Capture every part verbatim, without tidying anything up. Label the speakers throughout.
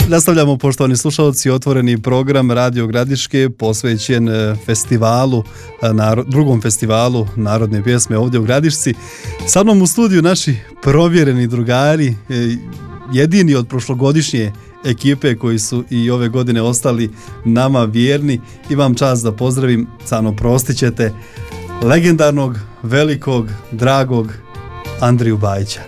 Speaker 1: Nastavljamo, poštovani slušalci, otvoreni program Radio Gradiške posvećen festivalu, drugom festivalu narodne pjesme ovdje u Gradišci. Sa mnom u studiju naši provjereni drugari, jedini od prošlogodišnje ekipe koji su i ove godine ostali nama vjerni. Imam čast da pozdravim, Cano, prostit ćete, legendarnog, velikog, dragog Andriju Bajića.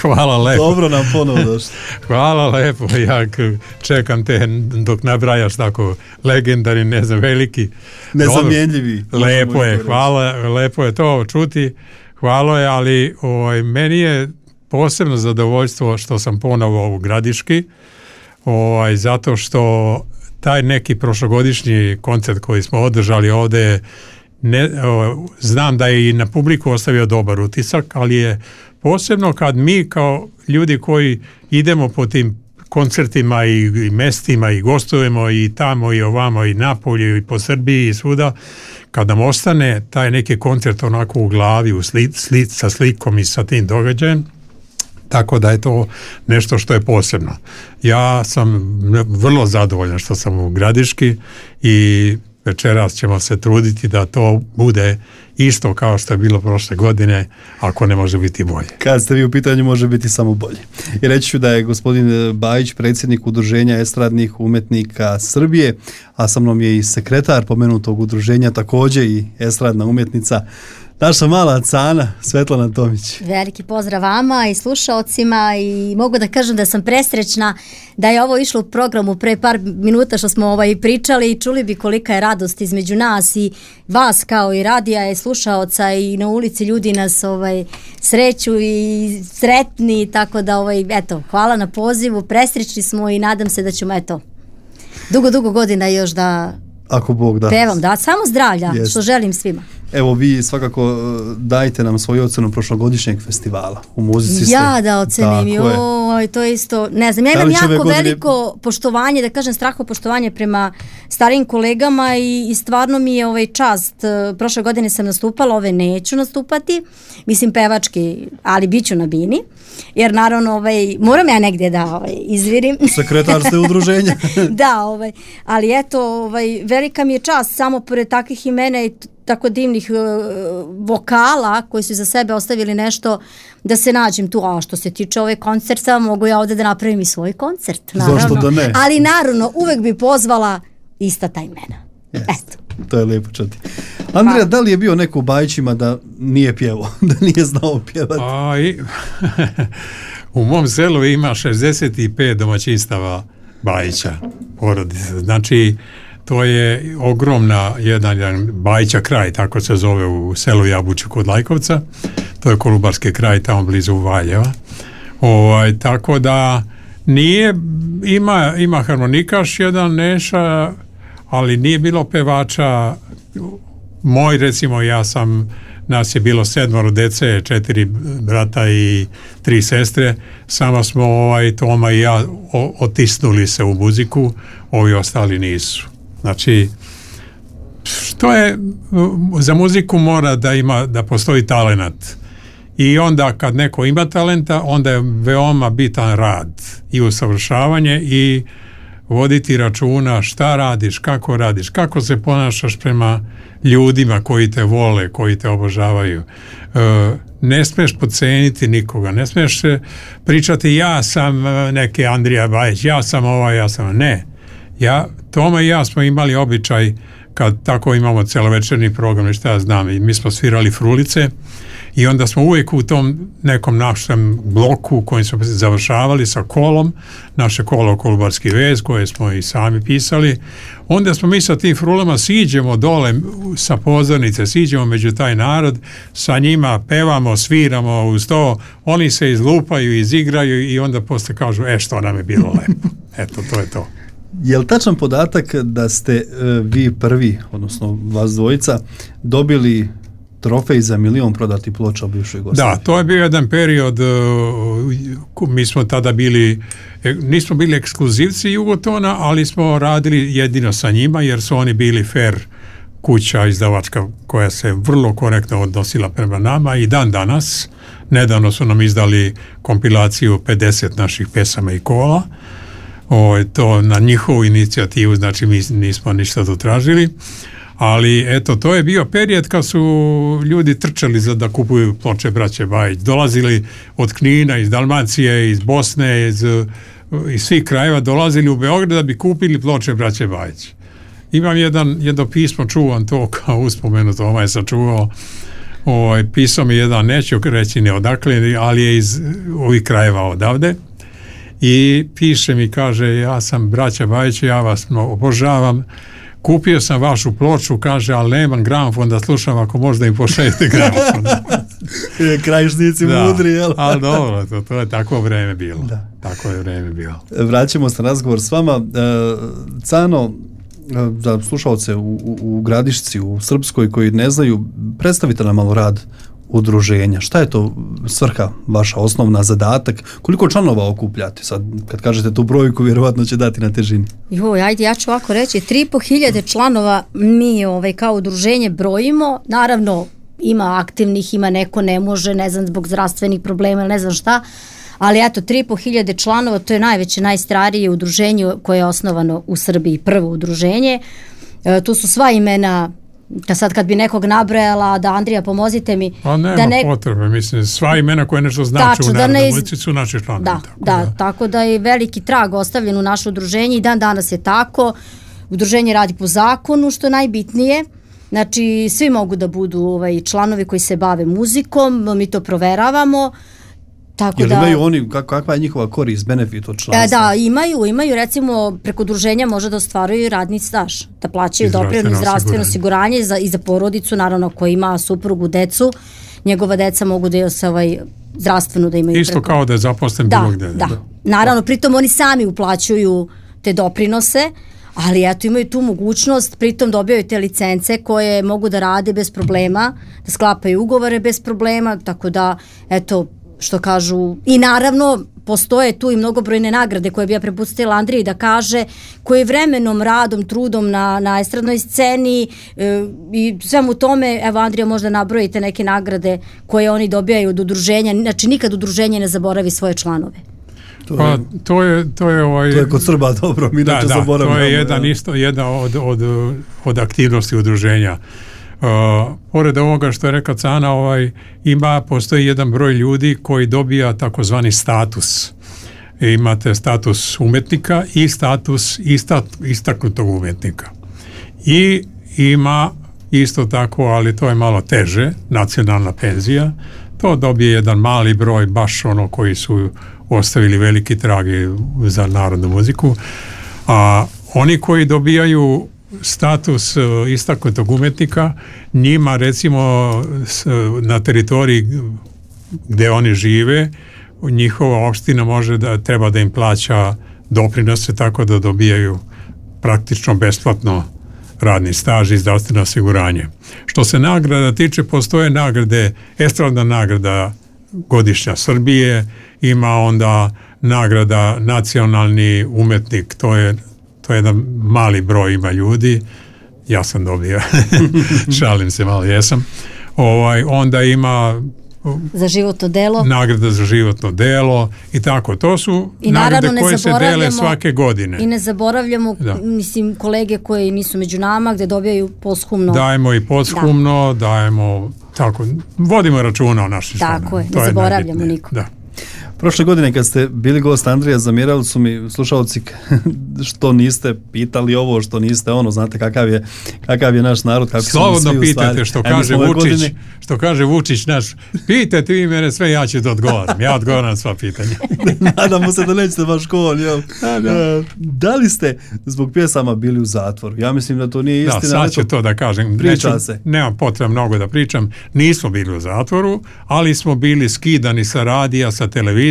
Speaker 2: Hvala lepo.
Speaker 1: Dobro nam ponovo došli.
Speaker 2: Hvala lepo, ja čekam te dok nabrajaš tako legendarni, ne znam, veliki.
Speaker 1: Nezamjenljivi.
Speaker 2: Lepo je, hvala, lepo je to čuti, hvala je, ali oj, meni je posebno zadovoljstvo što sam ponovo u Gradiški, oj, zato što taj neki prošlogodišnji koncert koji smo održali ovdje, ne, o, znam da je i na publiku ostavio dobar utisak, ali je posebno kad mi kao ljudi koji idemo po tim koncertima i, i mestima i gostujemo i tamo i ovamo i napolju i po Srbiji i svuda, kad nam ostane taj neki koncert onako u glavi u sli, sli, sa slikom i sa tim događajem, tako da je to nešto što je posebno. Ja sam vrlo zadovoljan što sam u Gradiški i večeras ćemo se truditi da to bude isto kao što je bilo prošle godine, ako ne može biti bolje.
Speaker 1: Kad ste vi u pitanju, može biti samo bolje. I reći ću da je gospodin Bajić predsjednik Udruženja estradnih umetnika Srbije, a sa mnom je i sekretar pomenutog udruženja, također i estradna umjetnica, naša mala Cana, Svetlana Tomić.
Speaker 3: Veliki pozdrav vama i slušaocima i mogu da kažem da sam presrećna da je ovo išlo u programu pre par minuta što smo ovaj pričali i čuli bi kolika je radost između nas i vas kao i radija i slušaoca i na ulici ljudi nas ovaj sreću i sretni, tako da ovaj eto, hvala na pozivu, presrećni smo i nadam se da ćemo eto dugo dugo godina još da
Speaker 1: ako Bog da.
Speaker 3: Pevam, da, samo zdravlja, yes. Što želim svima.
Speaker 1: Evo, vi svakako dajte nam svoju ocenu prošlogodišnjeg festivala. U muzici ste.
Speaker 3: Ja da ocenim, joj, to je isto, ne znam, ja imam jako godine... veliko poštovanje, da kažem straho poštovanje prema starijim kolegama i, i stvarno mi je ovaj čast. Prošle godine sam nastupala, ove neću nastupati, mislim pevački, ali bit ću na bini, jer naravno ovaj, moram ja negdje da ovaj, izvirim.
Speaker 1: Sekretar ste udruženja.
Speaker 3: Da, ovaj, ali eto, ovaj, velika mi je čast samo pored takvih imena i tako divnih uh, vokala koji su za sebe ostavili nešto da se nađem tu, a što se tiče ove koncerta mogu ja ovdje da napravim i svoj koncert, naravno.
Speaker 1: Zašto da ne?
Speaker 3: Ali naravno uvek bi pozvala ista ta imena.
Speaker 1: Yes. Eto. To je lijepo čuti. Andrija, da li je bio neko u Bajićima da nije pjevao, da nije znao pjevati?
Speaker 2: A, i, u mom selu ima šezdeset pet domaćinstava Bajića, porodice. Znači, to je ogromna jedan, jedan Bajića kraj, tako se zove u selu Jabuču kod Lajkovca. To je Kolubarski kraj, tamo blizu Valjeva. Ovaj, tako da nije, ima, ima harmonikaš jedan Neša, ali nije bilo pevača. Moj, recimo, ja sam, nas je bilo sedmoro dece, četiri brata i tri sestre, samo smo ovaj, Toma i ja o, otisnuli se u muziku, ovi ostali nisu. Znači, što je, za muziku mora da ima, da postoji talenat. I onda kad neko ima talenta, onda je veoma bitan rad i usavršavanje i voditi računa šta radiš, kako radiš, kako se ponašaš prema ljudima koji te vole, koji te obožavaju. E, ne smiješ podceniti nikoga, ne smiješ pričati ja sam neki Andrija Bajić, ja sam ovaj, ja sam ne. Ja, Toma i ja smo imali običaj kad tako imamo celovečerni program i šta ja znam, i mi smo svirali frulice i onda smo uvijek u tom nekom našem bloku kojim smo završavali sa kolom, naše kolo Kolubarski vez koje smo i sami pisali, onda smo mi sa tim frulama siđemo dole sa pozornice, siđemo među taj narod, sa njima pevamo, sviramo uz to, oni se izlupaju, izigraju i onda posle kažu, e što nam je bilo lepo. Eto, to je to.
Speaker 1: Je li tačan podatak da ste e, vi prvi, odnosno vas dvojica, dobili trofej za milion prodati ploča u bivšoj Jugoslaviji?
Speaker 2: Da, to je bio jedan period, uh, mi smo tada bili, nismo bili ekskluzivci Jugotona, ali smo radili jedino sa njima, jer su oni bili fair kuća izdavačka koja se vrlo korektno odnosila prema nama i dan danas. Nedavno su nam izdali kompilaciju pedeset naših pesama i kola. o, to na njihovu inicijativu, znači mi nismo ništa to tražili, ali eto, to je bio period kad su ljudi trčali za da kupuju ploče braće Bajić, dolazili od Knina, iz Dalmacije, iz Bosne, iz, iz svih krajeva, dolazili u Beograd da bi kupili ploče braće Bajić. Imam jedan, jedno pismo, čuvam to kao uspomenuto, ovaj sam čuvao, ovaj, pisao mi jedan, neću reći ne odakle, ali je iz ovih krajeva odavde, i piše mi, kaže, ja sam braća Bajić, ja vas obožavam, kupio sam vašu ploču, kaže, ali nemam gramofon da slušam, ako možda im pošaljete gramofon.
Speaker 1: Krajišnici mudri, jel?
Speaker 2: Ali dobro, to, to je tako vreme bilo.
Speaker 1: Da.
Speaker 2: Tako je vreme bilo.
Speaker 1: Vraćamo se na razgovor s vama. Cano, za slušalce u, u, u Gradišci, u Srpskoj, koji ne znaju, predstavite nam malo rad udruženja. Šta je to svrha, vaša osnovna zadatak? Koliko članova okupljate? Sad, kad kažete tu brojku, vjerovatno će dati na težini.
Speaker 3: Joj, ajde, ja ću ovako reći, tri i po hiljade članova mi ovaj, kao udruženje brojimo. Naravno, ima aktivnih, ima neko ne može, ne znam, zbog zdravstvenih problema, ne znam šta, ali eto, tri i po hiljade članova, to je najveće, najstarije udruženje koje je osnovano u Srbiji, prvo udruženje. E, tu su sva imena, da sad kad bi nekog nabrojala, da Andrija pomozite mi.
Speaker 2: Pa nema
Speaker 3: da ne...
Speaker 2: potrebe, mislim, sva imena koje nešto znači Tačno, u Narodnoj muzici iz... su naši članovi.
Speaker 3: Da,
Speaker 2: tako
Speaker 3: da,
Speaker 2: da,
Speaker 3: tako da je veliki trag ostavljen u naše udruženje i dan danas je tako. Udruženje radi po zakonu, što je najbitnije. Znači, svi mogu da budu ovaj, članovi koji se bave muzikom, mi to proveravamo. Tako
Speaker 1: Jel
Speaker 3: da,
Speaker 1: imaju oni, kakva je njihova korist, benefit od članstva?
Speaker 3: Da, imaju, imaju, recimo, preko udruženja može da ostvaruju radni staž, da plaćaju doprinos i zdravstveno osiguranje za, i za porodicu, naravno, ko ima suprugu, decu, njegova deca mogu da je se ovaj, zdravstveno da imaju.
Speaker 2: Isto
Speaker 3: preko...
Speaker 2: kao da je zaposlen
Speaker 3: da,
Speaker 2: bilo gde.
Speaker 3: Da, da. Naravno, pritom oni sami uplaćuju te doprinose, ali eto imaju tu mogućnost, pritom dobijaju te licence koje mogu da rade bez problema, da sklapaju ugovore bez problema, tako da, eto, što kažu, i naravno postoje tu i mnogobrojne nagrade koje bi ja prepustila Andriji da kaže, koje vremenom, radom, trudom na, na estradnoj sceni e, i svemu tome, evo Andrija možda nabrojite neke nagrade koje oni dobijaju od udruženja, znači nikad udruženje ne zaboravi svoje članove.
Speaker 1: To je,
Speaker 2: pa to je to je ovaj
Speaker 1: to je kod Srba dobro, mi da,
Speaker 2: da,
Speaker 1: zaboravljamo.
Speaker 2: To je jedan ja. isto jedna od, od, od aktivnosti udruženja. Uh, pored ovoga što je rekao Cana, ovaj, ima, postoji jedan broj ljudi koji dobija takozvani status. E, imate status umetnika i status istat, istaknutog umetnika. I ima isto tako, ali to je malo teže, nacionalna penzija. To dobije jedan mali broj, baš ono koji su ostavili veliki trag za narodnu muziku. A oni koji dobijaju status istaknutog umetnika, njima recimo na teritoriji gdje oni žive, njihova opština može da treba da im plaća doprinose, tako da dobijaju praktično besplatno radni staž i zdravstveno osiguranje. Što se nagrada tiče, postoje nagrade, estradna nagrada godišnja Srbije, ima onda nagrada nacionalni umetnik, to je to je jedan mali broj ima ljudi, ja sam dobio, šalim se malo, jesam. Ovaj, onda ima
Speaker 3: za životno delo,
Speaker 2: nagrada za životno delo i tako, to su
Speaker 3: i
Speaker 2: nagrade koje se dele svake godine.
Speaker 3: I ne zaboravljamo, da. mislim, kolege koji nisu među nama, gde dobijaju posthumno.
Speaker 2: Dajemo i posthumno, da. dajemo, tako, vodimo računa o našim članima.
Speaker 3: Tako je, ne zaboravljamo niko.
Speaker 2: Da.
Speaker 1: Prošle godine kad ste bili gost Andrija, zamjerali su mi slušalci što niste pitali ovo, što niste ono, znate kakav je, kakav je naš narod, kako
Speaker 2: slobodno pitajte, što kaže Vučić, godine... što kaže Vučić naš, pitajte vi mene sve, ja ću da odgovaram, ja odgovaram sva pitanja.
Speaker 1: Nadamo se da nećete baš škol, jel?
Speaker 2: Da, da.
Speaker 1: Da li ste zbog pjesama bili u zatvoru? Ja mislim da to nije istina.
Speaker 2: Da, sad ću to da kažem.
Speaker 1: Priča
Speaker 2: Neću,
Speaker 1: se.
Speaker 2: Nemam potreba mnogo da pričam. Nismo bili u zatvoru, ali smo bili skidani sa radija, sa televizije.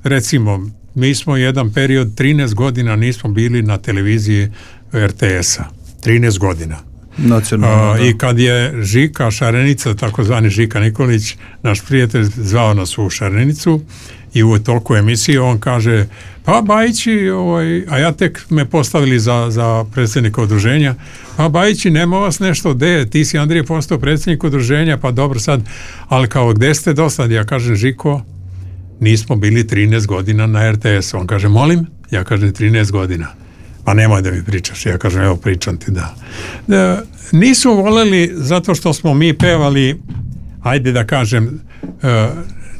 Speaker 2: Recimo, mi smo jedan period, trinaest godina nismo bili na televiziji er te es-a. trinaest godina.
Speaker 1: Nacionalno,
Speaker 2: uh, I kad je Žika Šarenica, takozvani Žika Nikolić, naš prijatelj, zvao nas u Šarenicu i u toliko emisije on kaže, pa Bajići, ovaj, a ja tek me postavili za, za predsjednika udruženja, pa Bajići, nema vas nešto, de, ti si Andrije postao predsjednik udruženja, pa dobro sad, ali kao gde ste do sad? Ja kažem, Žiko, nismo bili trinaest godina na er te es-u. On kaže, molim? Ja kažem trinaest godina. Pa nemoj da mi pričaš. Ja kažem, evo pričam ti, da. da nisu voleli zato što smo mi pevali, ajde da kažem, uh,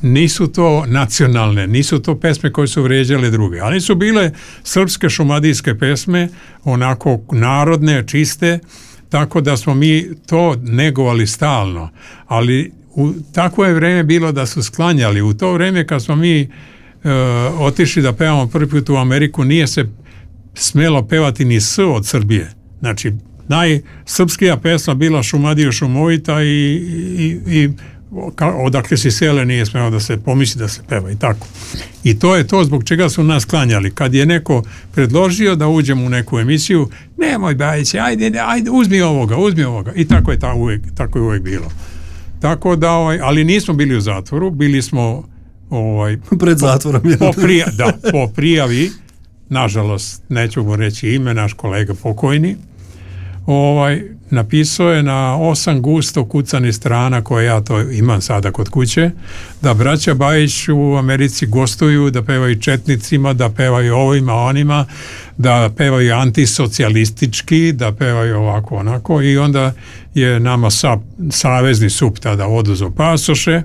Speaker 2: nisu to nacionalne, nisu to pesme koje su vređale druge, ali su bile srpske šumadijske pesme, onako narodne, čiste, tako da smo mi to negovali stalno. Ali u takvo je vreme bilo da su sklanjali. U to vreme kad smo mi uh, otišli da pevamo prvi put u Ameriku, nije se smjelo pevati ni S od Srbije. Znači, najsrpskija pesma bila Šumadija šumovita i, i, i odakle si sele nije smjelo da se pomisli da se peva i tako. I to je to zbog čega su nas klanjali. Kad je neko predložio da uđemo u neku emisiju, nemoj Bajić, ajde, ajde, uzmi ovoga, uzmi ovoga. I tako je, ta uvijek, tako je uvijek bilo. Tako da, ovaj, ali nismo bili u zatvoru, bili smo ovaj,
Speaker 1: pred zatvorom.
Speaker 2: Po, po, prija, da, po prijavi, nažalost, neću mu reći ime, naš kolega pokojni, ovaj, napisao je na osam gusto kucanih strana koje ja to imam sada kod kuće, da braća Bajić u Americi gostuju, da pevaju četnicima, da pevaju ovima, onima, da pevaju antisocijalistički, da pevaju ovako, onako, i onda je nama sa, savezni sup tada oduzo pasoše,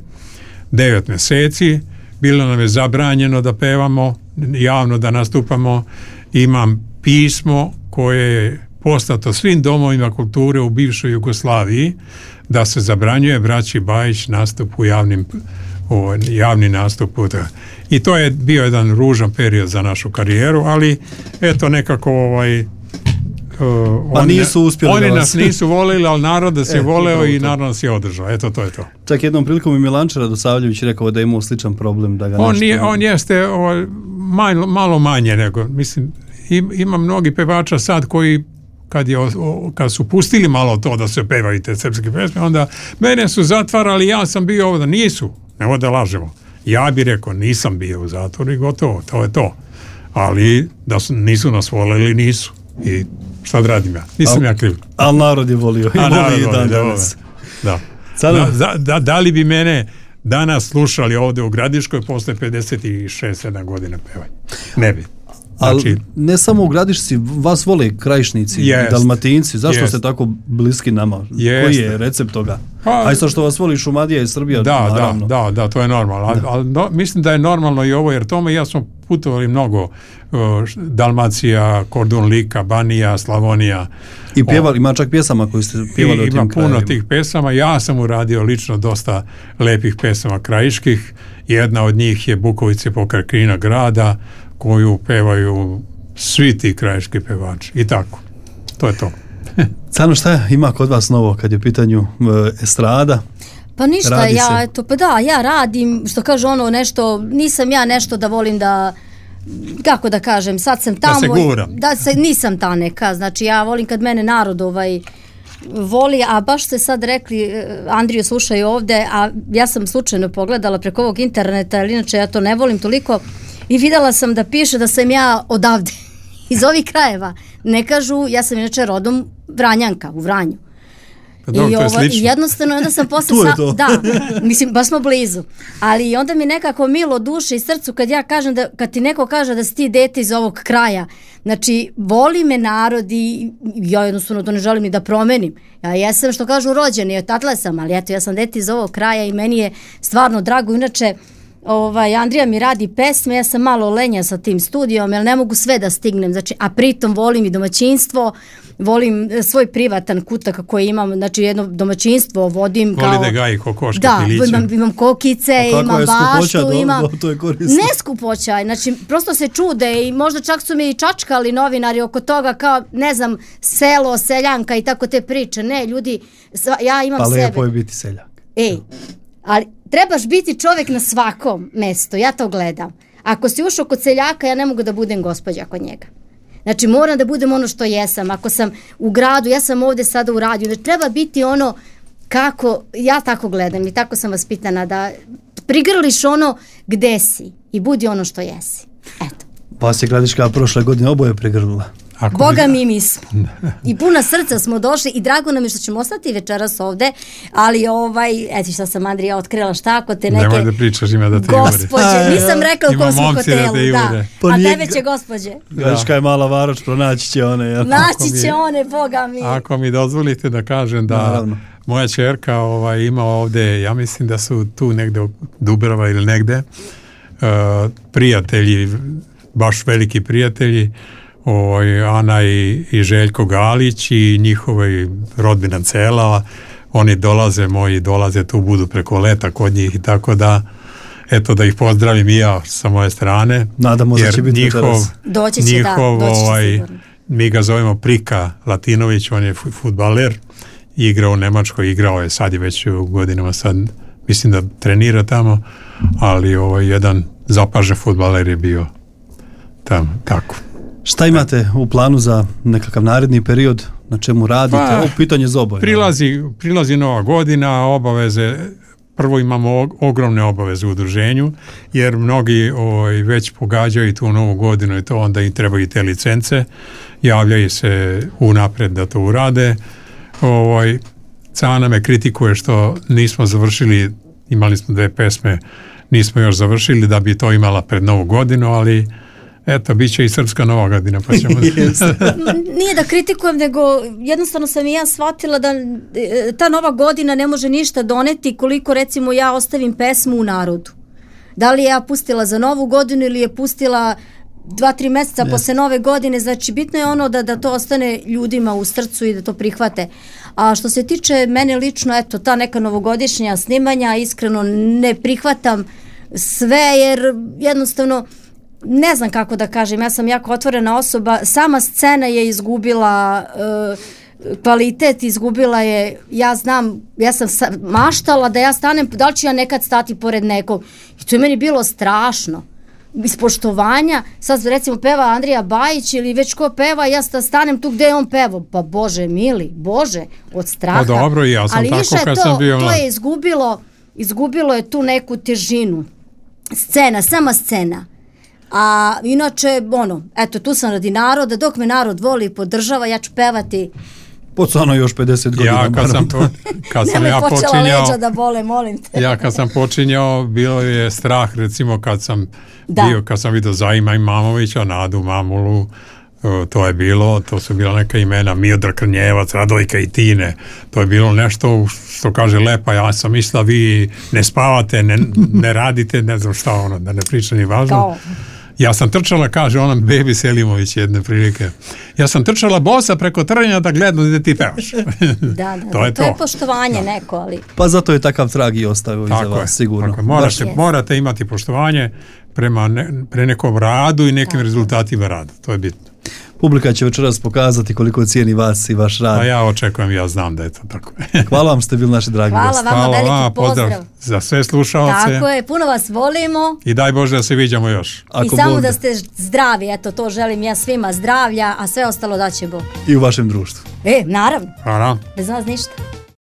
Speaker 2: devet mjeseci, bilo nam je zabranjeno da pevamo, javno da nastupamo. Imam pismo koje je poslato svim domovima kulture u bivšoj Jugoslaviji da se zabranjuje braći Bajić nastup u javnim, u javni nastup. I to je bio jedan ružan period za našu karijeru, ali eto nekako ovaj Uh,
Speaker 1: pa
Speaker 2: oni,
Speaker 1: nisu uspjeli
Speaker 2: oni
Speaker 1: da
Speaker 2: nas nisu volili, ali narod nas je
Speaker 1: e,
Speaker 2: voleo i narod nas je održao. Eto, to je to.
Speaker 1: Čak jednom prilikom i Milanče Radosavljević rekao da je imao sličan problem. Da ga
Speaker 2: on,
Speaker 1: nešto...
Speaker 2: nije, on jeste o, malo, malo manje nego, mislim, im, ima mnogi pevača sad koji kad, je, o, kad su pustili malo to da se pevaju te srpske pesme, onda mene su zatvarali, ja sam bio ovdje. Nisu, nemoj da lažemo. Ja bih rekao, nisam bio u zatvoru i gotovo, to je to. Ali da su, nisu nas volili, nisu. I šta da radim ja? Nisam al, ja kriv.
Speaker 1: Ali narod je volio. I voli i dan danas.
Speaker 2: Da. Da. Da, da, da li bi mene danas slušali ovdje u Gradiškoj posle pedeset šest sedam godina pevanja? Ne bi. Znači,
Speaker 1: ali ne samo u Gradišci, vas vole Krajišnici i Dalmatinci. Zašto jest. ste tako bliski nama? Jest. Koji je recept toga? Pa, aj sad što vas voli Šumadija i Srbija,
Speaker 2: da,
Speaker 1: naravno.
Speaker 2: Da, da, da, to je normalno. Da. Ali no, mislim da je normalno i ovo, jer tome ja smo putovali mnogo. Uh, Dalmacija, Kordun, Lika, Banija, Slavonija.
Speaker 1: I pjevali, ima čak pjesama koje ste pjevali o tim
Speaker 2: ima
Speaker 1: krajevima.
Speaker 2: Puno tih pesama. Ja sam uradio lično dosta lepih pesama krajiških. Jedna od njih je Bukovice pokraj Knina grada, koju pevaju svi ti krajiški pevači. I tako. To je to.
Speaker 1: Cano, šta ima kod vas novo kad je u pitanju uh, estrada?
Speaker 3: Pa ništa, ja, eto, pa da, ja radim, što kaže ono nešto, nisam ja nešto da volim da, kako da kažem, sad sam tamo.
Speaker 2: Da se gura.
Speaker 3: Da se, nisam ta neka, znači ja volim kad mene narod ovaj voli, a baš ste sad rekli, Andriju slušaj ovde, a ja sam slučajno pogledala preko ovog interneta, ali inače ja to ne volim toliko, i videla sam da piše da sam ja odavde, iz ovih krajeva. Ne kažu, ja sam inače rodom Vranjanka, u Vranju.
Speaker 2: Pa dobro,
Speaker 3: I
Speaker 2: to je
Speaker 3: ovo,
Speaker 2: slično.
Speaker 3: jednostavno, onda sam posle... sa, da, mislim, baš smo blizu. Ali onda mi nekako milo duše i srcu kad ja kažem da, kad ti neko kaže da si ti dete iz ovog kraja. Znači, voli me narod i ja jednostavno to ne želim ni da promenim. Ja jesam, što kažu, rođeni, odatle sam, ali eto, ja sam dete iz ovog kraja i meni je stvarno drago. Inače, ovaj, Andrija mi radi pesme, ja sam malo lenja sa tim studijom, jer ne mogu sve da stignem, znači, a pritom volim i domaćinstvo, volim svoj privatan kutak koji imam, znači jedno domaćinstvo vodim
Speaker 2: voli
Speaker 3: kao...
Speaker 2: Voli da gaji kokoške,
Speaker 3: da,
Speaker 2: piliće.
Speaker 3: imam, imam kokice, imam baštu, do, imam...
Speaker 1: Do, to je korisno.
Speaker 3: Ne skupoća, znači prosto se čude i možda čak su mi i čačkali novinari oko toga kao, ne znam, selo, seljanka i tako te priče. Ne, ljudi, ja imam
Speaker 1: pa
Speaker 3: sebe.
Speaker 1: Pa lepo je biti seljak.
Speaker 3: Ej, ali trebaš biti čovjek na svakom mestu, ja to gledam. Ako si ušao kod seljaka, ja ne mogu da budem gospođa kod njega. Znači, moram da budem ono što jesam. Ako sam u gradu, ja sam ovdje sada u radiju. Znači, treba biti ono kako, ja tako gledam i tako sam vas pitana, da prigrliš ono gde si i budi ono što jesi. Eto.
Speaker 1: Vas je Gradiška prošle godine oboje prigrlila.
Speaker 2: Ako
Speaker 3: Boga
Speaker 2: bi...
Speaker 3: mi mi smo. I puna srca smo došli i drago nam je što ćemo ostati večeras ovde, ali ovaj, eto šta sam Andrija otkrila, šta ako te neke...
Speaker 2: Nemoj da pričaš, ima da te
Speaker 3: gospođe, nisam rekla u kom smo hotelu, da. da.
Speaker 1: Pa
Speaker 3: A
Speaker 1: nije...
Speaker 3: tebe će gospođe.
Speaker 1: Gradiška je mala varoč, pronaći će one. Ja.
Speaker 3: Naći će one, Boga mi.
Speaker 2: Ako mi dozvolite da kažem da Naravno. moja ćerka ovaj, ima ovde, ja mislim da su tu negde u Dubrava ili negde, uh, prijatelji, baš veliki prijatelji, Oj, Ana i, i Željko Galić i njihova rodbina cela, oni dolaze, moji dolaze tu, budu preko leta kod njih i tako da, eto da ih pozdravim i ja sa moje strane.
Speaker 1: Nadamo se će biti
Speaker 2: njihov,
Speaker 3: doći će,
Speaker 2: njihov,
Speaker 3: da, doći će
Speaker 2: ovaj,
Speaker 3: sigurno.
Speaker 2: Mi ga zovemo Prika Latinović, on je fudbaler, igrao u Nemačkoj, igrao je, sad je već u godinama, sad mislim da trenira tamo, ali ovaj, jedan zapažen fudbaler je bio tamo, tako.
Speaker 1: Šta imate u planu za nekakav naredni period, na čemu radite? Pa, ovo pitanje za oboje.
Speaker 2: Prilazi, prilazi nova godina, obaveze, prvo imamo ogromne obaveze u udruženju, jer mnogi oj, već pogađaju tu novu godinu i to onda im trebaju te licence, javljaju se unapred da to urade. Ovaj, Cana me kritikuje što nismo završili, imali smo dve pesme, nismo još završili da bi to imala pred novu godinu, ali eto, bit će i srpska nova godina, pa ćemo...
Speaker 3: Nije da kritikujem, nego jednostavno sam i ja shvatila da ta nova godina ne može ništa doneti koliko recimo ja ostavim pesmu u narodu. Da li je ja pustila za novu godinu ili je pustila dva, tri mjeseca yes. posle nove godine, znači bitno je ono da, da to ostane ljudima u srcu i da to prihvate. A što se tiče mene lično, eto, ta neka novogodišnja snimanja, iskreno ne prihvatam sve, jer jednostavno ne znam kako da kažem, ja sam jako otvorena osoba, sama scena je izgubila uh, kvalitet, izgubila je, ja znam, ja sam sa, maštala da ja stanem, da li ću ja nekad stati pored nekog, i to je meni bilo strašno, iz poštovanja, sad recimo peva Andrija Bajić ili već ko peva, ja stanem tu gde je on pevao, pa Bože mili, Bože, od straha.
Speaker 2: Pa dobro, ja sam
Speaker 3: ali
Speaker 2: tako
Speaker 3: više
Speaker 2: kad
Speaker 3: to,
Speaker 2: sam bio...
Speaker 3: to je izgubilo, izgubilo je tu neku težinu, scena, sama scena. A inače, ono, eto, tu sam radi naroda, dok me narod voli i podržava, ja ću pevati.
Speaker 1: Pocano još pedeset godina.
Speaker 2: Ja kad sam, po, kad sam ja
Speaker 3: počela
Speaker 2: počinjao...
Speaker 3: leđa da bole, molim te.
Speaker 2: Ja kad sam počinjao, bilo je strah, recimo kad sam
Speaker 3: da.
Speaker 2: bio, kad sam vidio Zajima Imamovića, Nadu Mamulu, to je bilo, to su bila neka imena, Miodrag Krnjevac, Radojka i Tine, to je bilo nešto što kaže Lepa, ja sam mislila vi ne spavate, ne, ne radite, ne znam šta ono, da ne priča ni važno. Kao. Ja sam trčala, kaže ona Bebi Selimović jedne prilike, ja sam trčala bosa preko trnja da gledam da ti pevaš.
Speaker 3: Da, da,
Speaker 2: to, je
Speaker 3: to
Speaker 2: to
Speaker 3: je poštovanje da. neko, ali...
Speaker 1: Pa zato je takav trag i ostavio iza vas, sigurno.
Speaker 2: Tako je, morate, morate imati poštovanje prema ne, pre nekom radu i nekim tako. rezultatima rada, to je bitno.
Speaker 1: Publika će večeras pokazati koliko cijeni vas i vaš rad.
Speaker 2: A ja očekujem, ja znam da je to tako.
Speaker 1: Hvala vam što ste bili naši dragi
Speaker 3: Hvala
Speaker 1: gosti.
Speaker 3: vama, veliki Hvala, pozdrav.
Speaker 2: pozdrav za sve slušalce.
Speaker 3: Tako je, puno vas volimo.
Speaker 2: I daj Bože da se viđamo još.
Speaker 3: Ako I samo Bog da ste zdravi, eto to želim ja svima zdravlja, a sve ostalo da će Bog.
Speaker 1: I u vašem društvu.
Speaker 3: E, naravno.
Speaker 2: Hvala.
Speaker 3: Bez nas ništa.